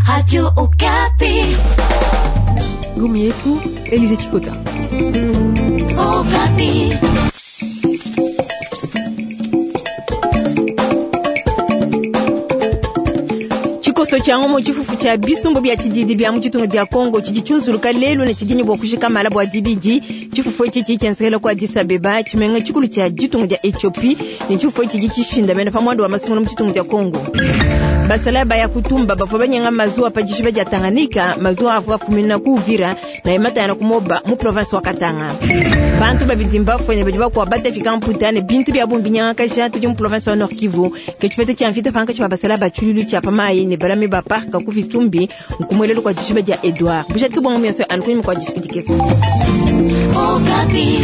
Radio Okapi. Gumi yetu Elize Chikota. Okapi. Tshikoso tshia ngomo tshifufu tshia bisumbu bia tshididi bia mu ditunga dia Kongo tshidi tshiunzuluka lelu ne tshidi ne bua kujika mala bua dibidi. Tshifufu etshi tshidi tshienzekela ku Addis Abeba, tshimenga tshikulu tshia ditunga dia Ethiopie, ne tshifufu etshi tshidi tshishindamena pa muanda wa masungula mu ditunga dia Kongo. Basalayi ba Yakutumba bavua banyenga mazuwa pa dishiba dia Tanganyika, mazuwa avua afumina ku Uvira na ematayana ku Moba mu province wa Katanga. Bantu babidi mbafue ne badi bakuabu batafika mputa ne bintu bia bungi binyangakaja tudi mu province wa Nord Kivu. Ke tshipeta tshia mvita pankatshi pa basalayi ba tshiluilu tshia pa mayi ne balami ba parc ku Vitumbi nkumuelelu kua dishiba dia Edouard. Bujadiki bua ngombe yonso anu kunyima kua dishiki dikese. Okapi.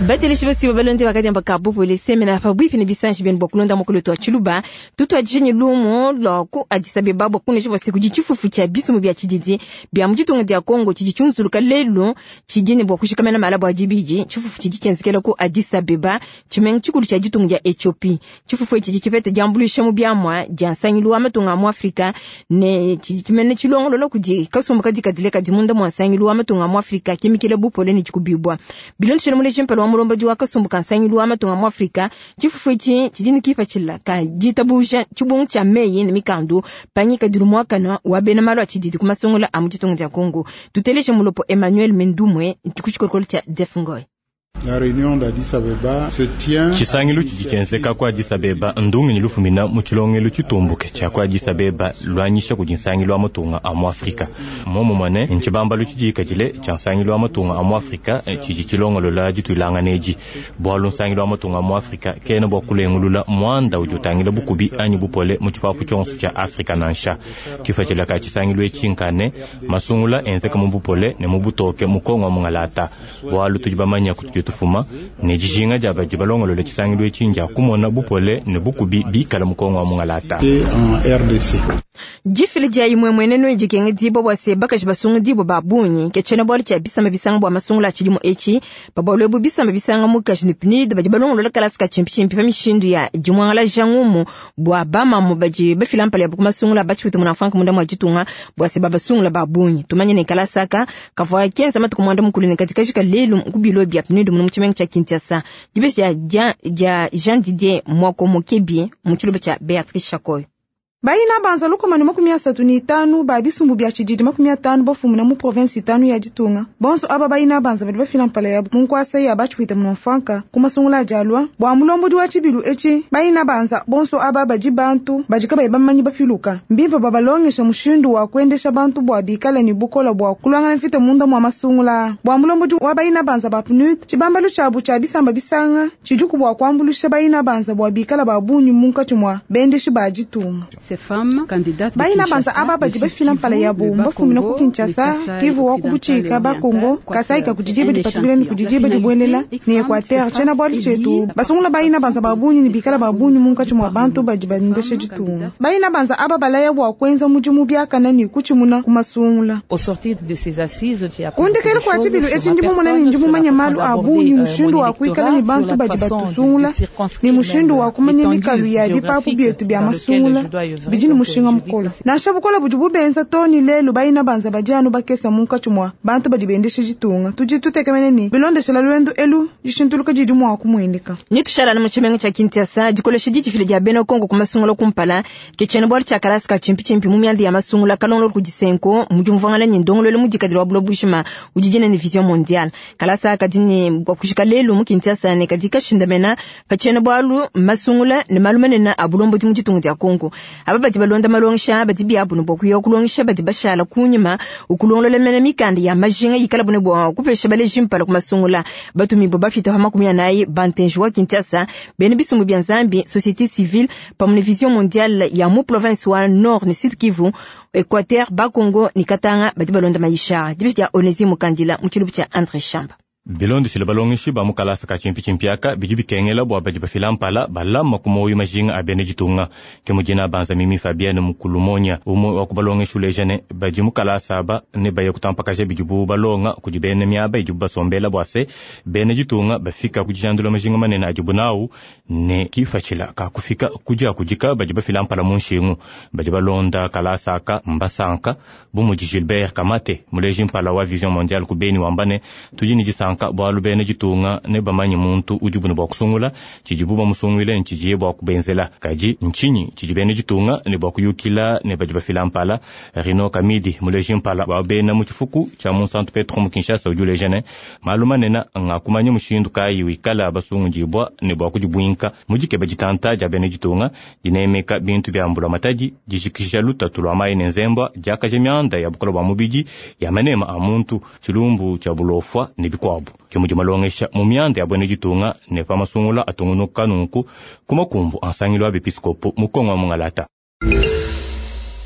Bateleshi basiba balonde bakadiamba ka bupole semena pabuipi ne bisanji bienu bua kulonda mukulu wa tshiluba. Tutuadije ne lumu lua ku Addis Abeba bua kuneja bua se kudi tshifufu tshia bisumbu bia tshididi bia mu ditunga dia Kongo tshidi tshiunzuluka lelu tshidi ne bua kushikamena mala bua dibidi. Tshifufu tshidi tshienzekela ku Addis Abeba, tshimenga tshikulu tshia ditunga dia Ethiopie. Tshifufu etshi tshidi tshipeta diambuluisha mu biamua dia nsangilu wa matunga a mu Afrika ne tshidi tshimene tshilongolola kudi kasumbu kadikadile kadi munda mua nsangilu wa matunga a mu Afrika kimikila bupole ne tshikubibua. Bilondeshile muleji mpala wa mulombodi wa kasumbu ka nsangilu wa matunga a mu Afrika, tshifufu etshi tshidi ne kipatshila ka ditabuja tshibungu tshia meyi ne mikandu pa ngikadilu muakane wa bena malu a tshididi ku masungula a mu ditunga dia Kongo. Tuteleje mulopo Emmanuel Mendumwe ku tshikolokolo tshia Jeff Ngoy. La réunion d'Addis Abeba se tient. Tshisangilu tshidi tshienzeka ku Addis Abeba ndungenyi lufumina mu tshilongelu tshitumbuke tshia ku Addis Abeba luanyisha kudi nsangilu wa matunga a mu Afrika. Momumue ne ntshibambalu tshidikadile tshia nsangilu wa matunga a mu Afrika tshidi tshilongolola dituilangana edi, bualu nsangilu wa matunga a mu Afrika kena bua kulengulula muanda udi utangila bukubi anyi bupole mu tshipapu tshionso tshia Afrika nansha. Kipatshila ka tshisangilu etshi nkane masungula enzeka mu bupole ne mu butoke mu Kongo wa mungalata, bualu tudi bamanya kutudi tufuma ne dijinga dia badi balongolola tshisangilu etshi ndia kumona bupole ne bukubi bikala mu Kongo wa mungalata. En RDC. Difila dia imue mwenenu dikengedibua bua se bakaji basungudibua ba bungi ke tshiena-bualu tshia bisamba bisanga bua masungula a tshidimu etshi. Pa bualu ebu bisamba bisanga mukaji ne PNUD badi balongolola kalasa ka tshimpitshimpi pa mishindu ya dimuangalaja ngumu bua bamamu badi bafila mpala yabu ku masungula a batshipwita munamfuanka munda mua ditunga bua se babasungula ba bungi. Tumanye ne kalasa aka kavua kenza matuku muanda mukulu ne kadi kajika lelu ku bilo bia PNUD munu mu tshimenga tshia Kinshasa. Dibeji dia dia Jean Didier Mwako Mukebi mu tshiluba tshia Beatrice Chakoy. Baina banza 135 ba bisumbu bia tshididi 50 bafumina mu province 5 ya ditunga. Bonso aba baina banza badi bafila mpala yabu mu nkwasa ya batshipwita munamfuanka ku masungula a dialua bua mulombodi wa tshibilu etshi. Baina banza bonso aba badi bantu badi kabayi bamanyi bapiluka mbimpe babalongesha mushindu wa kuendesha bantu bua bikale ne bukola bua kulwangana mvita munda mua masungula. Bua mulombodi wa baina banza ba PNUD, tshibambalu tshiabu tshia bisamba bisanga tshidiku bua kuambuluisha baina banza bua bikale ba bungi munkatshi mua bendeshi ba ditunga. Baina banza aba badi bafila mpala yabu mbafumina ku Kinshasa, Kivu wa ku Butshika, Bakongo, Kasai ka kudidiba dipatukila ne kudidiba dibuelela ne Equateur. Tshiena-bualu tshietu basungula baina banza ba bungi ne bikala ba bungi munkatshi mua bantu badi bandesha ditunga. Baina banza aba balaya bua kuenza mudimu biakana ne kutshimuna ku masungula. Kundekela kua tshibilu etshi ndi mumona ne ndi mumanye malu a bungi mushindu wa kuikala ne bantu badi batusungula ne mushindu wa kumanya mikalu ya bipapu bietu bia masungula bidi ne mushinga mukole. Nansha bukola budi bubenza too ne lelu baina banza badi anu bakesa munkatshi mua bantu badi bendesha ditunga. Tudi tutekemene ne bilondeshela luendu elu dishintuluka didi mua kumueneka. Ni tushala mu tshimenga tshia Kinshasa dikolesha didifila dia bena Kongo ku masungula kumpala ke tshiena-bualu tshia kalasa ka tshimpitshimpi mu mianda ya masungula kalongolola kudi Senko mu diumvuangana ne ndongoluelu mudikadile wa buloba bujima udi dina ne Vision Mondiale. Kalasa kadi ne bua kujika lelu mu Kinshasa ne kadi kashindamena pa tshiena-bualu masungula ne malu manene a bulombodi mu ditunga dia Kongo. Aba badi balonda malongesha badi biabu ne bua kuya kulongesha badi bashala kunyima ukulongolola mena mikanda ya majinga ikala bune bua kupesha baleji mpala ku masungula. Batumibue bafita pa 40 bantenji wa Kinshasa bene bisumbu bia Nzambi, société civile pamwe ne Vision Mondiale ya mu province wa Nord ne Sud Kivu, Equateur, Bakongo ne Katanga badi balonda maisha. Dibeji dia Onesime Mukandila mu tshilubu tshia André Chamba. Bilondeshile balongeshi ba mu kalasa ka tshimpitshimpi aka, bidi bikengela bua badi bafila mpala balama ku muoyo majinga a bena ditunga. Ke mudi Nabanza Mimi Fabienne Mukulumonya, umue wa ku balongeshi uleja ne, badi mu kalasa aba ne baya kutampakaja bidibu balonga kudi bena miaba idibu basombela bua se, bena ditunga bafika ku dijandula majinga manene adibu nawu ne kipatshila ka kufika ku diakudika badi bafila mpala mu nshingu. Badi balonda kalasa aka mbasanka bu mudi Gilbert Kamate, muleji mpala wa Vision Mondiale ku Beni, wamba ne, tudi ne disanka bualu bena ditunga ne bamanye muntu udibu ne bua kusungula, tshidibu bamusunguile ne tshidiye bua kubenzela. Kadi ntshinyi tshidi bena ditunga ne bua kuyukila ne badi bafila mpala? Rino Kamidi, muleji mpala wa bena mu tshifuku tshia mu Santu Petro mu Kinshasa, udi uleja ne, malu manene nga kumanya mushindu kayi wikala basungudibua ne bua kudibuinka mu dikeba ditanta dia bena ditunga, dinemeka bintu bia mbulamatadi, dijikija lutatu lua mayi ne nzembwa, diakaja mianda ya bukole bua mubidi, ya manema a muntu, tshilumbu tshia bulofua ne bikuabu. Ke mudi malongesha mu mianda ya bena ditunga ne pa masungula atungunuka nunku ku makumbu a nsangilu wa bepiskopo mu Kongo wa Mungalata.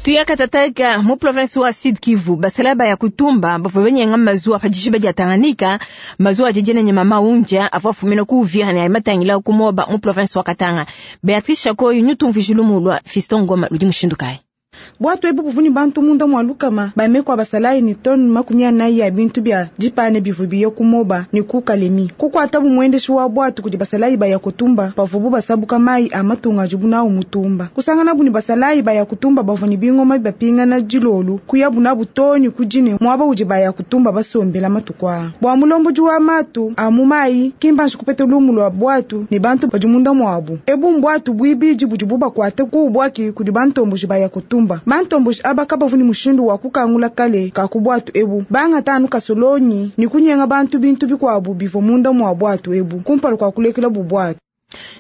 Tuyakatataka mu province wa Sud Kivu, basala baya kutumba bavua banyenga mazuwa pa dishiba dia Tanganyika, mazuwa adi ne mama unja avua afumina ku Uvira ne matangila ku Moba mu province wa Katanga. Beatrice Shakoyo nyutumvije lumu lua Fiston Ngoma ludi mushindu kayi? Bwatu ebu buvuni bantu munda mwa lukama bamekwa basalayi ni toni 40 ya bintu bya dipane bivu biye ku Moba ni ku Kalemi. Kukwata bumwendeshi wa bwatu kudi basalayi baya kutumba bavubu basabuka mayi a matunga ajibu nawo mutumba. Kusangana bu ni basalayi baya kutumba bavu ni bingoma bapingana dilolu kuyabu nabu toni kujine mwaba udi baya kutumba basombela matukwa. Bwa mulomboji wa matu a mu mayi kimbanshi kupete lumu lwa bwatu ni bantu badi munda mwabu. Ebu mbwatu bwibiji budi bubakwate ku bwaki kudi bantomboji baya kutumba. Bantomboji aba kabavu ni mushindu wa kukangula kale kakubwatu ebu banga tanu kasolonyi ni kunyenga bantu bintu bikwabu bivo munda mwa bwatu ebu kumpala kwa kulekela bubwatu.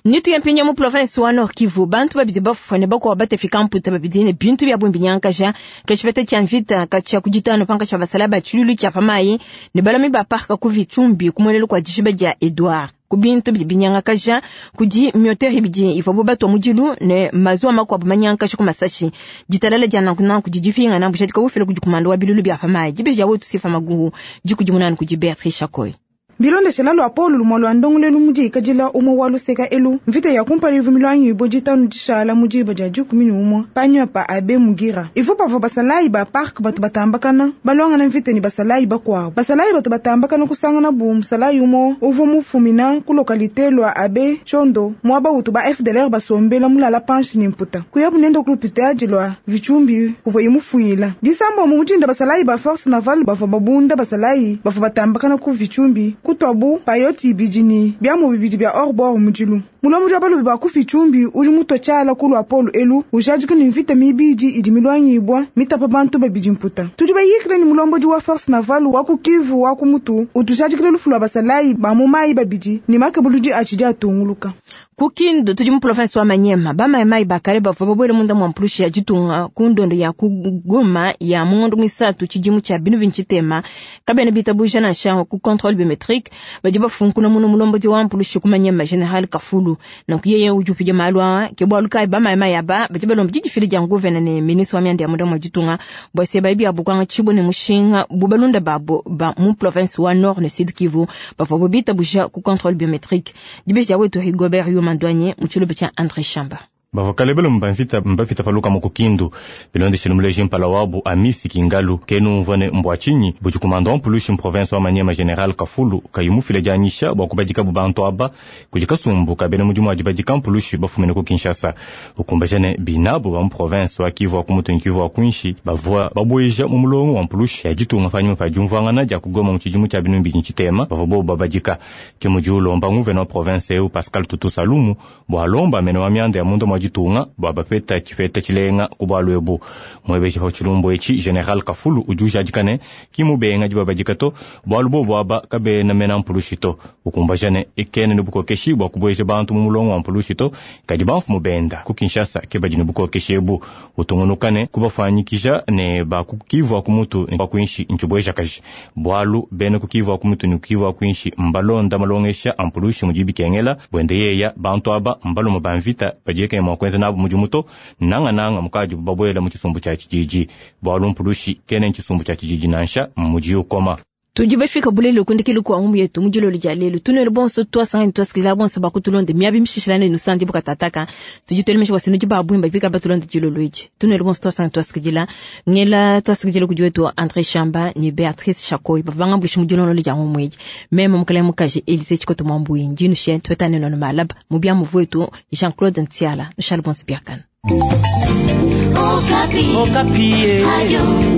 Nitu ya mpinya mu province wa Nord Kivu, bantu babidi bafune bakwa batefika mputa babidi ne bintu bya bumbi nyankaja kashifete cha mvita kacha kujitano panka cha basalaba chilulu cha pamayi ne balami ba parka ku Vichumbi kumwelelo kwa dishiba dia Edouard. Kubintu binyangakaja kudi miotere bidi ifo bato mudilu ne mazuwa makwabu manyankaja ku masashi ditalala dia nanku kudi difinga na bushati kufila kudi kumando wa bilulu bya pamayi dibeja wetu sifa maguhu dikudi munanu kudi Beatrice Chakoy. Bilondeshela lwa Paul lumwa lwa ndongolelu mudi ikadila umwe wa luseka elu mvita ya kumpala ivu milwanyi ibo ditanu dishala mudiba dia 11 panyuma pa abe mugira ivu pavua basalayi ba park batu batambakana balwangana mvita ni basalayi bakuabu basalayi batu batambakana kusangana bu musalayi umwe uvua mufumina ku lokalite lwa abe chondo mwaba utu ba FDLR basombela mulala panshi ni mputa kuyabu nenda ku lupitadi lwa Vichumbi kuvua imufuila disambo mu mudinda basalayi ba force navale bavua babunda basalayi bavua batambakana ku Vichumbi kutwabu payoti ibidi ni byamu bibidi bya orbor mudilu mulomo jwa balubi ba ku Vichumbi udi mutwa tshala kulwa Paul elu ujadika ni mvita mibidi idi milwanyibwa mitapa bantu babidi mputa tudi bayikile ni mulombodi wa force navale wa ku Kivu wa ku mutu utujadikile lufu lwa basalayi ba mu mayi babidi ni makebuludi atshidi atunguluka. Kukindu tudi mu province wa Manyema bamayimayi bakale bavua babwele munda mwa mpulushi ya ditunga ku ndondo ya kugoma ya mungondo mwisatu tshidimu tshia binu bintshitema kabena bitabuja nansha ku contrôle biométrique badi bafunkuna muno mulombodi wa mpulushi ku Manyema General Kafulu nanku yeye udi upidya malu aa ke bualu kayi bamayimayi aba badi balomba didifila dia nguvena ne ministre wa mianda ya munda mwa ditunga bua se bayi biabu kwanga tshibo ne mushinga bu balunda babo ba mu province wa Nord ne Sud Kivu bavua bo bitabuja ku contrôle biométrique dibeja wetu Rigobert Yuma Douanier mu tshilobo tshia André Chamba. Bavakalebele mbamvita mbafita paluka mu kukindu bilondeshele muleji mpala wabu Amisi Kingalu kenu mvone mbwa chinyi budi kumanda wa mpulushi mu province wa Manyema General Kafulu kayimufile dianyisha bua kubadika bu bantu aba kudi kasumbu kabena mudimu adi badika mpulushi bafumine ku Kinshasa ukumbajane binabu ba mu province wa Kivu wa kumutu ni Kivu wa kuinshi bavua babweja mu mulongo wa mpulushi ya ditunga panyuma pa diumvuangana dia kugoma mu tshidimu tshia binu mbili tshitema bavua bobu babadika ke mudi ulomba nguvena wa province eu Pascal Tutu Salumu bua alomba mene wa mianda ya munda mwa ditunga bua bapeta tshifeta tshilenga ku bualu ebu mwebeji pa tshilumbu etshi General Kafulu udi ujadika ne kimubenga dibabadika to bualu bobu aba kabena mena mpulushi to ukumbajane ekene ne bukokeshi bua kubueja bantu mu mulongo wa mpulushi to kadi bamfumu benda ku Kinshasa ke badi ne bukokeshi ebu utungunukane kubafanyikija ne bakukivua ku mutu ne bakuinshi ntshibueja kaji bualu bena kukivua ku mutu ne kukivua kuinshi mbalonda malongesha a mpulushi mudi bikengela bwende yeya bantu aba mbaluma ba mvita badiekene mua kuenza nabu mudimu to nangananga mukadi babwela mu tshisumbu tshia tshididi bualu mpulushi kene tshisumbu tshia tshididi nansha mudi ukoma. Tudi bafika bulelo kundikilo kwa ngumu yetu mujilolo dia lelo. Tunelo bonso twasanga twasikila bonso bakutulonde miabi mshishilane nusandi bukatataka. Tudi telemesha wasinu ba bwimba bika batulonde jilolo iji. Tunelo bonso twasanga twasikila ngela twasikila kujiwetu André Chamba ni Beatrice Chakoy bavanga mbushi mujilolo dia ngumu iji. Meme mukale mukaji Elise Chikoto Mwambui njinu shen twetane nono malab mubia muvuetu Jean-Claude Ntiala. Nshal bonso biakana. Okapi. Okapi. Radio.